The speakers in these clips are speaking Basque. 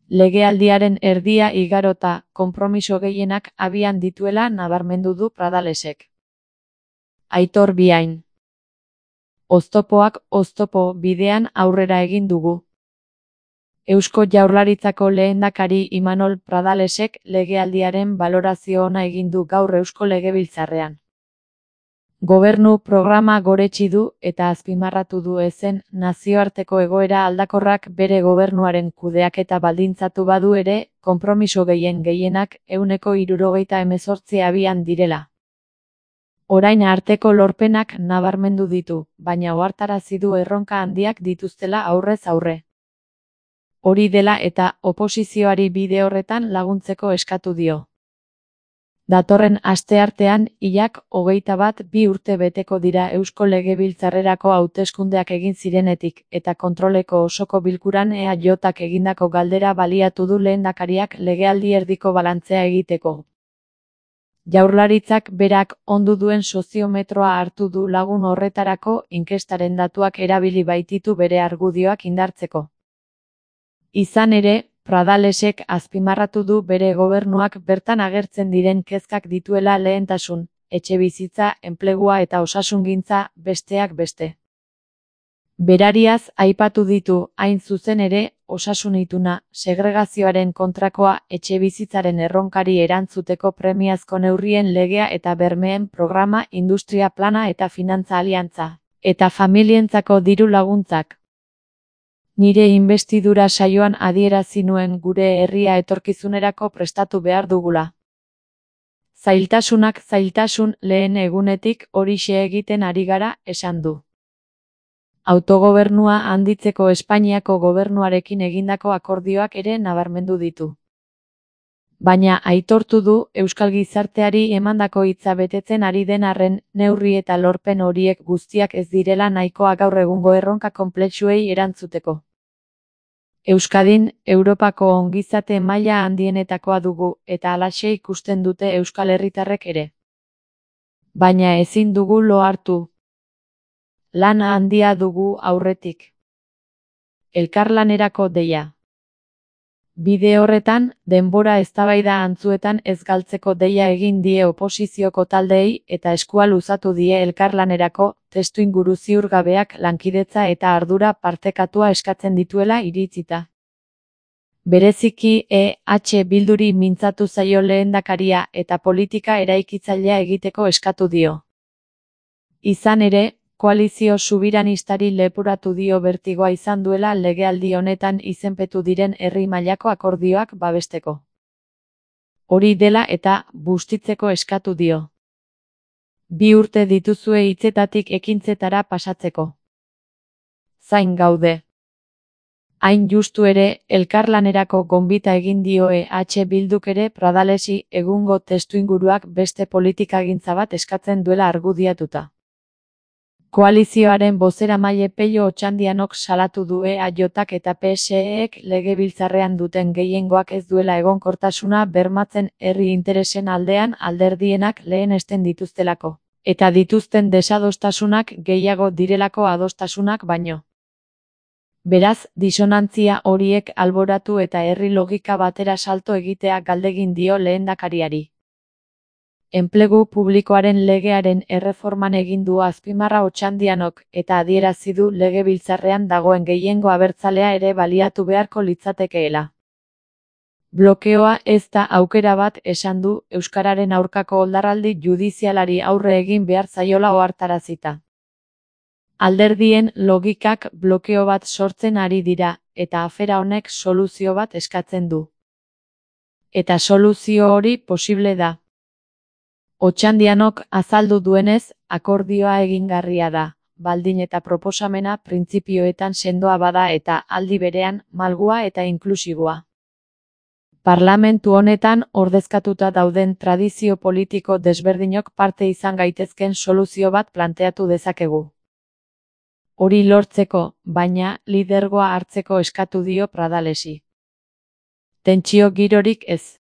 Legealdiaren erdia igarota konpromiso gehienak abian dituela nabarmendu du Pradalesek. Aitor Biain. Oztopoak oztopo bidean aurrera egin dugu. Eusko Jaurlaritzako lehendakari Imanol Pradalesek legealdiaren balorazio ona egin du gaur Eusko Legebiltzarrean. Gobernu programa goretsi du eta azpimarratu du ezen nazioarteko egoera aldakorrak bere gobernuaren kudeaketa baldintzatu badu ere, konpromiso gehienak 78 abian direla. Orain arteko lorpenak nabarmendu ditu, baina ohartarazi du erronka handiak dituztela aurrez aurre. Hori dela eta oposizioari bide horretan laguntzeko eskatu dio. Datorren asteartean hilak 21 urte beteko dira Eusko Legebiltzarrerako hauteskundeak egin zirenetik eta kontroleko osoko bilkuran EAJak egindako galdera baliatu du lehendakariak legealdi erdiko balantzea egiteko. Jaurlaritzak berak ondu duen soziometroa hartu du lagun horretarako inkestaren datuak erabili baititu bere argudioak indartzeko. Izan ere, Pradalesek azpimarratu du bere gobernuak bertan agertzen diren kezkak dituela lehentasun, etxebizitza, enplegua eta osasungintza, besteak beste. Berariaz aipatu ditu, hain zuzen ere, osasun ituna, segregazioaren kontrakoa, etxebizitzaren erronkari erantzuteko premiazko neurrien legea eta bermeen programa, industria plana eta finantza aliantza, eta familientzako diru laguntzak. Nire inbestidura saioan adierazi nuen gure herria etorkizunerako prestatu behar dugula. Zailtasun lehen egunetik horixe egiten ari gara, esan du. Autogobernua handitzeko Espainiako gobernuarekin egindako akordioak ere nabarmendu ditu. Baina aitortu du euskal gizarteari emandako hitza betetzen ari den arren, neurri eta lorpen horiek guztiak ez direla nahikoa gaur egungo erronka konplexuei erantzuteko. Euskadin, Europako ongizate maila handienetakoa dugu eta halaxe ikusten dute euskal herritarrek ere. Baina ezin dugu lo hartu. Lan handia dugu aurretik. Elkarlanerako deia. Bide horretan, denbora eztabaida antzuetan ez galtzeko deia egin die oposizioko taldeei eta eskua luzatu die elkarlanerako, testuinguru ziurgabeak lankidetza eta ardura partekatua eskatzen dituela iritzita. Bereziki EH Bilduri mintzatu zaio lehendakaria eta politika eraikitzailea egiteko eskatu dio. Izan ere, koalizio subiranistari lepuratu dio bertigoa izan duela legealdi honetan izenpetu diren herri mailako akordioak babesteko. Hori dela eta bustitzeko eskatu dio. 2 urte dituzue hitzetatik ekintzetara pasatzeko. Zain gaude. Hain justu ere, elkarlanerako gonbita egin dio EH Bilduk ere Pradalesi egungo testuinguruak beste politikagintza bat eskatzen duela argudiatuta. Koalizioaren bozeramaile Pello Otxandianok salatu du EAJak eta PSEek legebiltzarrean duten gehiengoak ez duela egonkortasuna bermatzen herri interesen aldean alderdienak lehenesten dituztelako, eta dituzten desadostasunak gehiago direlako adostasunak baino. Beraz, disonantzia horiek alboratu eta herri logika batera salto egitea galdegin dio lehendakariari. Enplegu publikoaren legearen erreforman egin du azpimarra Otxandianok eta adierazi du legebiltzarrean dagoen gehiengo abertzalea ere baliatu beharko litzatekeela. Blokeoa ez da aukera bat esan du euskararen aurkako oldarraldi judizialari aurre egin behar zaiola ohartarazita. Alderdien logikak blokeo bat sortzen ari dira eta afera honek soluzio bat eskatzen du. Eta soluzio hori posible da. Otxandianok azaldu duenez, akordioa egingarria da, baldin eta proposamena printzipioetan sendoa bada eta aldi berean malgua eta inklusiboa. Parlamentu honetan ordezkatuta dauden tradizio politiko desberdinok parte izan gaitezken soluzio bat planteatu dezakegu. Hori lortzeko, baina, lidergoa hartzeko eskatu dio Pradalesi. Tentsio girorik ez.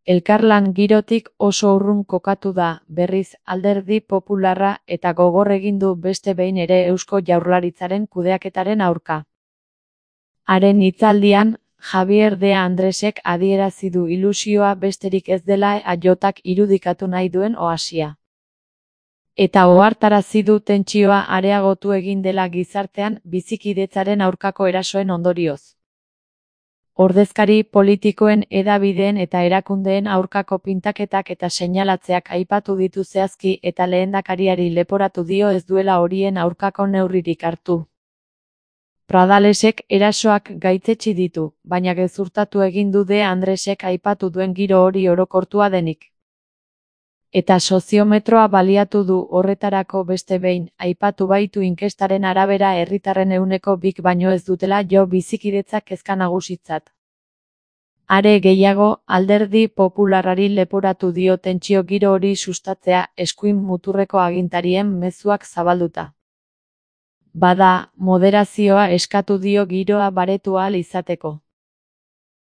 Elkarlan girotik oso urrun kokatu da, berriz Alderdi Popularra eta gogor egin du beste behin ere Eusko Jaurlaritzaren kudeaketaren aurka. Haren hitzaldian, Javier de Andresek adierazi du ilusioa besterik ez dela AJak irudikatu nahi duen oasia. Eta ohartarazi du tentsioa areagotu egin dela gizartean bizikidetzaren aurkako erasoen ondorioz. Ordezkari politikoen, hedabideen eta erakundeen aurkako pintaketak eta seinalatzeak aipatu ditu zehazki eta lehendakariari leporatu dio ez duela horien aurkako neurririk hartu. Pradalesek erasoak gaitzetsi ditu, baina gezurtatu egin du de Andresek aipatu duen giro hori orokortua denik. Eta soziometroa baliatu du horretarako beste behin, aipatu baitu inkestaren arabera herritarren 2%, baino ez dutela jo bizikidetzak kezka nagusitzat. Are gehiago, alderdi popularrari leporatu dio tentsio giro hori sustatzea eskuin muturreko agintarien mezuak zabalduta. Bada, moderazioa eskatu dio giroa baretu ahal izateko.